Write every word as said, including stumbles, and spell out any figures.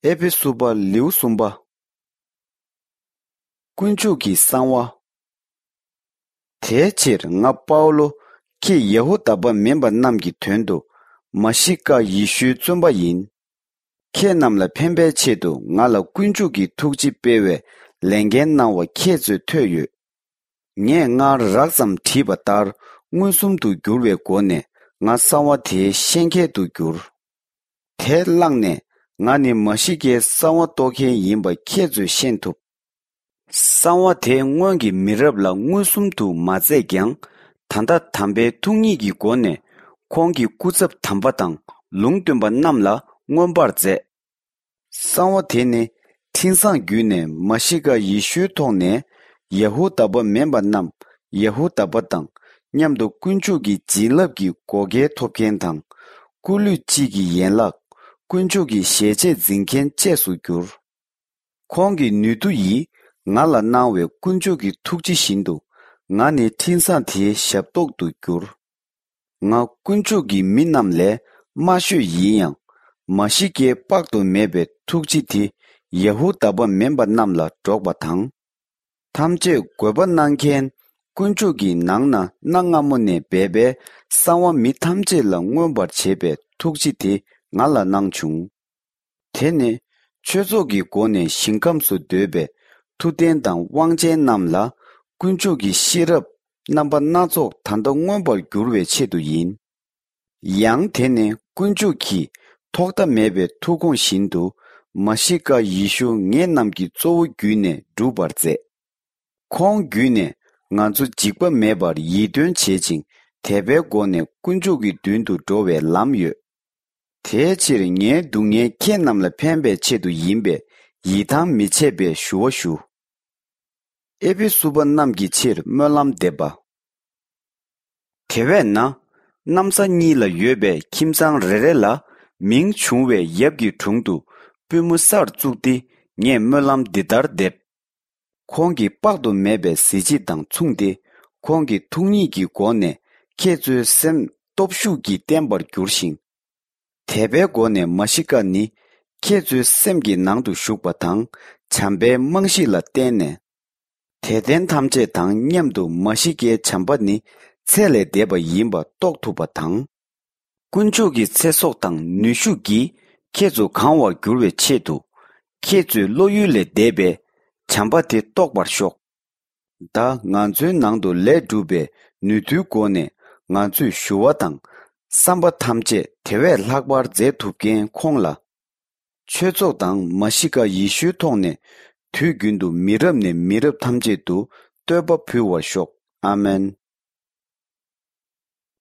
ཨེ་ཕེ་སུ་པ་ལེའུ་གསུམ་པ། དཀོན་མཆོག་གི་གསང་བ། དེའི་ཕྱིར་ང་པའུ་ལོ། ཁྱེད་ཡ་ཧུ་དཱ་པ་མིན་པ་རྣམས་ཀྱི་དོན་དུ་མ་ཤི་ཀ་ཡེ་ཤུའི་བཙོན་པ་ཡིན། ཁྱེད་རྣམས་ལ་ཕན་པའི་ཆེད་དུ་ང་ལ་དཀོན་མཆོག་གི་ཐུགས་རྗེ་སྤེལ་བའི་ལས་འགན་གནང་བ་ཁྱེད་ཚོས་ཐོས་ཡོད། ངས་སྔར་རགས་ཙམ་བྲིས་པ་ལྟར་མངོན་སུམ་དུ་འགྱུར་བའི་སྒོ་ནས་ང་གསང་བ་དེའི་ཤེས་མཁན་དུ་གྱུར། དེ་བླངས་ནས་ང་ནི་མ་ཤི་ཀའི་གསང་བ་རྟོགས་མཁན་ཡིན་པ་ཁྱེད་ཚོས་ཤེས་ཐུབ། གསང་བ་དེ་སྔོན་གྱི་མི་རབས་ལ་མངོན་སུམ་དུ་མ་མཛད་ཀྱང་། ད་ལྟ་དམ་པའི་ཐུགས་ཉིད་ཀྱི་སྒོ་ནས་ཁོང་གི་སྐུ་ཚབ་དམ་པ་དང་ལུང་སྟོན་པ་རྣམས་ལ་མངོན་པར་མཛད། གསང་བ་དེ་ནི་འཕྲིན་བཟང་བརྒྱུད་ནས་མ་ཤི་ཀ་ཡེ་ཤུའི་ཐོག་ནས་ཡ་ཧུ་དཱ་པ་མིན་པ་རྣམས་ཡ་ཧུ་དཱ་པ་དང་མཉམ་དུ་དཀོན་མཆོག་གི་བྱིན་རླབས་ཀྱི་བགོ་སྐལ་ཐོབ་མཁན་དང་། སྐུ་ལུས་གཅིག་གི་ཡན་ལག་དཀོན་མཆོག་གི་ཞལ་ཆད་འཛིན་མཁན་བཅས་སུ་གྱུར། ཁོང་གི་ནུས་མཐུ་ཡིས་ང་ལ་གནང་བའི་དཀོན་མཆོག་གི་ཐུགས་རྗེ་བཞིན་དུ་ང་ནི་འཕྲིན་བཟང་དེའི་ཞབས་ཏོག་ཏུ་གྱུར། ང་དཀོན་མཆོག་གི་མི་རྣམས་ལས་དམའ་ཤོས་ཡིན་ཡང་། མ་ཤི་ཀའི་དཔག་ཏུ་མེད་པའི་ཐུགས་རྗེ་དེ་ཡ་ཧུ་དཱ་པ་མིན་པ་རྣམས་ལ་སྒྲོག་པ་དང་། ཐམས་ཅད་དགོས་པ་གནང་མཁན་དཀོན་མཆོག་གི་ནང་ན་གནའ་སྔ་མོ་ནས་སྦས་པའི་གསང་བ་མི་ཐམས་ཅད་ལ་མངོན་པར་བྱེད་པའི་ཐུགས་རྗེ་དེ་ང་ལ་གནང་བྱུང་། དེ་ནི་ཆོས་ཚོགས་ཀྱི་སྒོ་ནས་ཞིང་ཁམས་སུ་སྡོད་པའི་མཐུ་ལྡན་དང་དབང་ཅན་རྣམས་ལ་དཀོན་མཆོག་གི་ཤེས་རབ་རྣམ་པ་སྣ་ཚོགས་ད་ལྟ་མངོན་པར་འགྱུར་བའི་ཆེད་དུ་ཡིན། ཡང་དེ་ནི་དཀོན་མཆོག་གིས་ཐོག་མཐའ་མེད་པའི་ཐུགས་དགོངས་བཞིན་དུ་མ་ཤི་ཀ་ཡེ་ཤུ་ངེད་རྣམས་ཀྱི་གཙོ་བོ་བརྒྱུད་ནས་སྒྲུབ་པར་མཛད། ཁོང་བརྒྱུད་ནས་ང་ཚོ་འཇིགས་པ་མེད་པར་ཡིད་རྟོན་བྱེད་ཅིང་དད་པའི་སྒོ་ནས་དཀོན་མཆོག་གི་མདུན་དུ་འགྲོ་བའི་ལམ་ཡོད། དེའི་ཕྱིར་ངའི་སྡུག་བསྔལ་ཁྱེད་རྣམས་ལ་ཕན་པའི་ཆེད་དུ་ཡིན་པས་ཡིད་ཐང་མི་ཆད་པའི་ཞུ་བ་ཞུ། ཨེ་ཕེ་སུ་པ་རྣམས་ཀྱི་ཕྱིར་སྨོན་ལམ་འདེབས་པ། དེ་བས་ན། གནམ་ས་གཉིས་ལ་ཡོད་པའི་ཁྱིམ་ཚང་རེ་རེ་ལ་མིང་བྱུང་བའི་ཡབ་ཀྱི་དྲུང་དུ་པུས་མོ་སར་བཙུགས་ཏེ་ངས་སྨོན་ལམ་འདི་ལྟར་འདེབས། ཁོང་གི་དཔག་ཏུ་མེད་པའི་གཟི་བརྗིད་དང་མཚུངས་ཏེ། ཁོང་གི་ཐུགས་ཉིད་ཀྱི་སྒོ་ནས་ཁྱེད་ཚོའི་སེམས་སྟོབས་ཤུགས་ཀྱིས་བརྟན་པར་འགྱུར་ཞིང་། དད་པའི་སྒོ་ནས་མ་ཤི་ཀ་ནི་ཁྱེད་ཚོའི་སེམས་ཀྱི་ནང་དུ་ཞུགས་པ་དང་། བྱམས་པའི་རྨང་གཞི་ལ་བརྟེན་ནས། དད་ལྡན་ཐམས་ཅད་དང་མཉམ་དུ་མ་ཤི་ཀའི་བྱམས་པ་ནི་ཚད་ལས་འདས་པ་ཡིན་པ་རྟོགས་ཐུབ་པ་དང་། དཀོན་མཆོག་གི་ཚེ་སྲོག་དང་ནུས་ཤུགས་ཀྱིས་ཁྱེད་ཚོ་གང་བར་འགྱུར་བའི་ཆེད་དུ། ཁྱེད་ཚོའི་བློ་ཡུལ་ལས་འདས་པའི་བྱམས་པ་དེ་རྟོགས་པར་ཤོག། ད་ང་ཚོའི་ནང་དུ་ལས་སྒྲུབ་པའི་ནུས་མཐུའི་སྒོ་ནས་ང་ཚོས་ཞུ་བ་དང་བསམ་པ་ཐམས་ཅད་དེ་བས་ལྷག་པར་མཛད་ཐུབ་མཁན་ཁོང་ལ། ཆོས་ཚོགས་དང་མ་ཤི་ཀ་ཡེ་ཤུའི་ཐོག་ནས་དུས་རྒྱུན་དུ་མི་རབས་ནས་མི་རབས་ཐམས་ཅད་དུ་བསྟོད་པ་ཕུལ་བར་ཤོག། ཨ་མེན།